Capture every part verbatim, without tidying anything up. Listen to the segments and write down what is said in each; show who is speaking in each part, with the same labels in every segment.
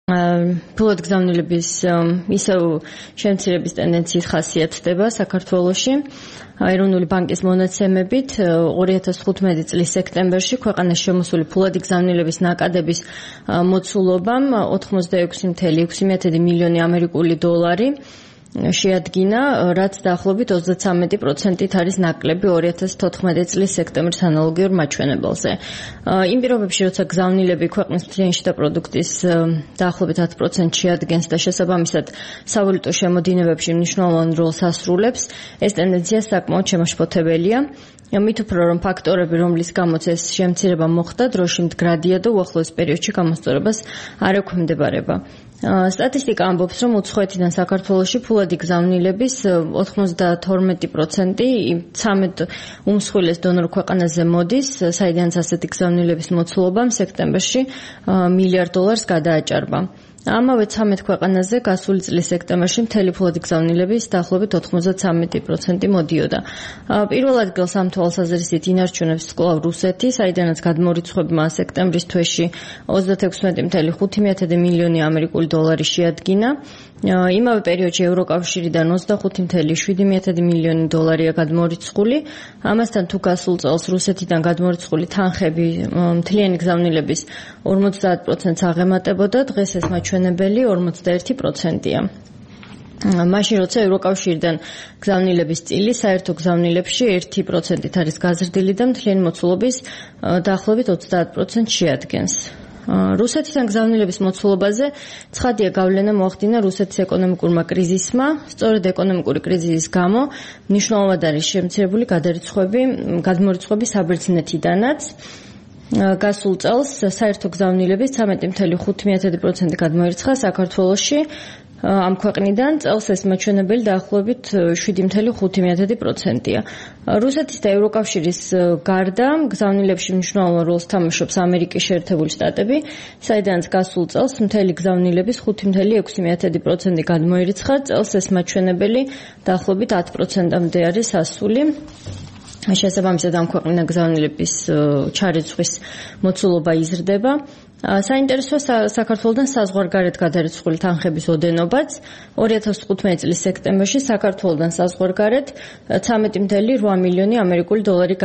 Speaker 1: ფულად გზავნილების ისევ შემცირების ტენდენციის ხასიათდება საქართველოში. ეროვნული ბანკის მონაცემებით ორი ათას თხუთმეტი წლის სექტემბერში ქვეყანაში შემოსული ფულადი გზავნილების ნაკადების მოცულობამ ოთხმოცდაექვსი ათეული ექვსი მილიონი ამერიკული დოლარი შეადგინა, რაც დაახლოებით ოცდათვრამეტი პროცენტით არის ნაკლები ორი ათას თოთხმეტი წლის სექტემბრის ანალოგიურ მაჩვენებელზე. იმ პირობებში, როცა გზავნილები ქვეყნის მთლიანი შიდა პროდუქტის დაახლოებით ათ პროცენტს შეადგენს და შესაბამისად სავალუტო შემოდინებებში მნიშვნელოვან როლს ასრულებს, ეს ტენდენცია საკმაოდ შემაშფოთებელია. მით უფრო რომ ფაქტორები, რომლის გამოც ეს შემცირება მოხდა, დროში მდგრადია და უახლოეს პერიოდში გამოსწორებას არ ექვემდებარება. სტატისტიკა ამბობს, რომ უცხოეთიდან საქართველოში ფულადი გზავნილების ოთხმოცდათორმეტი პროცენტი ცამეტ უმსხვილეს დონორ ქვეყანაზე მოდის, საიდანაც ასეთი გზავნილების მოცულობამ სექტემბერში მილიარდ დოლარს გადააჭარბა. ამავე ცამეტ ქვეყანაზე გასული წლის სექტემბერში მთელი ფულადი გზავნილების დაახლოებით ოთხმოცდათვრამეტი პროცენტი მოდიოდა. პირველ ადგილს ამ თვალსაზრისით ინარჩუნებს კვლავ რუსეთი, საიდანაც გადმორიცხვებმა სექტემბრის თვეში ოცდათექვსმეტი ათეული ხუთი მილიონი ამერიკული დოლარი შეადგინა. იმავე პერიოდში ევროკავშირიდან ოცდახუთი ათეული შვიდი მილიონი დოლარია გადმორიცხული. ამასთან თუ გასულ წელს რუსეთიდან გადმორიცხული თანხები მთლიანი გზავნილების ორმოცდაათ პროცენტს აღემატებოდა, დღეს ეს მაჩვენებელი ორმოცდაერთი პროცენტია. მაშინ როცა ევროკავშირიდან გზავნილების წილი საერთო გზავნილებში ერთი პროცენტით არის გაზრდილი და მთლიანი მოცულობის დაახლოებით ოცდაათ პროცენტს შეადგენს. რუსეთიდან გზავნილების მოცულობაზე ცხადია გავლენა მოახდინა რუსეთის ეკონომიკურმა კრიზისმა. სწორედ ეკონომიკური კრიზისის გამო მნიშვნელოვნად არის შემცირებული გადარიცხვები, გადმორიცხვები საბერძნეთიდანაც. გასულ წელს საერთო გზავნილების ცამეტი ათეული ხუთი პროცენტი გადმოირიცხა საქართველოში. ამ ქვეყნიდან წელს ეს მაჩვენებელი დაახლოებით შვიდი ათეული ხუთი პროცენტია. რუსეთის და ევროკავშირის გარდა გზავნილებში მნიშვნელოვან როლს თამაშობს ამერიკის შეერთებული შტატები, საიდანაც გასულ წელს მთელი გზავნილების ხუთი ათეული ექვსი პროცენტი გადმოირიცხა. წელს ეს მაჩვენებელი დაახლოებით ათ პროცენტამდე არის ასული. შესაბამისად ამ ქვეყნიდან გზავნილების ჩარიცხვის მოცულობა იზრდება. საინტერესოა საქართველოდან საზღვარგარეთ გადარიცხული თანხების ოდენობაც. ორი ათას თხუთმეტი წლის სექტემბერში საქართველოდან საზღვარგარეთ ცამეტი ათეული რვა მილიონი ამერიკული დოლარი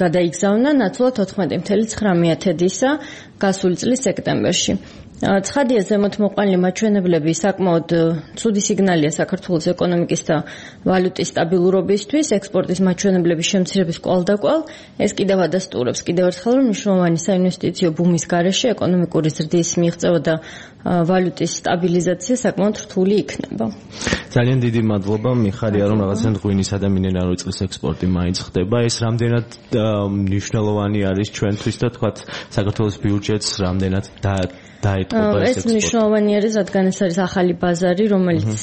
Speaker 1: გადაიგზავნა, ნაცვლად ოთხმეტი ათეული ცხრამეტი გასული წლის სექტემბერში. ცხადია ზემოთმოყვანილი მაჩვენებლები საკმაოდ ცუდი სიგნალია საქართველოს ეკონომიკის და ვალუტის სტაბილურობისთვის, ექსპორტის მაჩვენებლების შემცირების კვალდაკვალ. ეს კიდევ ადასტურებს კიდევ ერთხელ, რომ მნიშვნელოვანი საინვესტიციო ბუმის გარეშე ეკონომიკური ზრდის მიღწევა და ვალუტის სტაბილიზაცია საკმაოდ რთული იქნება.
Speaker 2: ძალიან დიდი მადლობა, მიხარია რომ რაღაცნაირად ღვინისა და მინერალური წყლის ექსპორტი მაინც ხდება. ეს რამდენად მნიშვნელოვანი არის ჩვენთვის და თქვათ საქართველოს ბიუჯეტს რამდენად და
Speaker 1: ეს მნიშვნელოვანი არის, რადგან ეს არის ახალი ბაზარი, რომელიც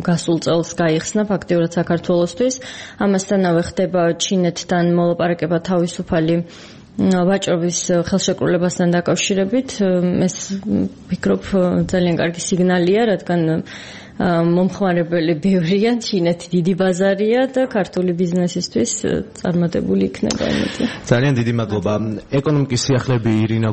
Speaker 1: გასულ წელს გაიხსნა ფაქტიურად საქართველოსთვის. ამასთანავე ხდება ჩინეთთან მოლაპარაკება თავისუფალი ვაჭრობის ხელშეკრულებასთან დაკავშირებით. ეს ვფიქრობ ძალიან კარგი სიგნალია, რადგან მომხმარებელი ბევრია, ჩინეთი დიდი ბაზარია და ქართული ბიზნესისთვის წარმატებული იქნება.
Speaker 2: ძალიან დიდი მადლობა. ეკონომიკის სიახლეები ირინა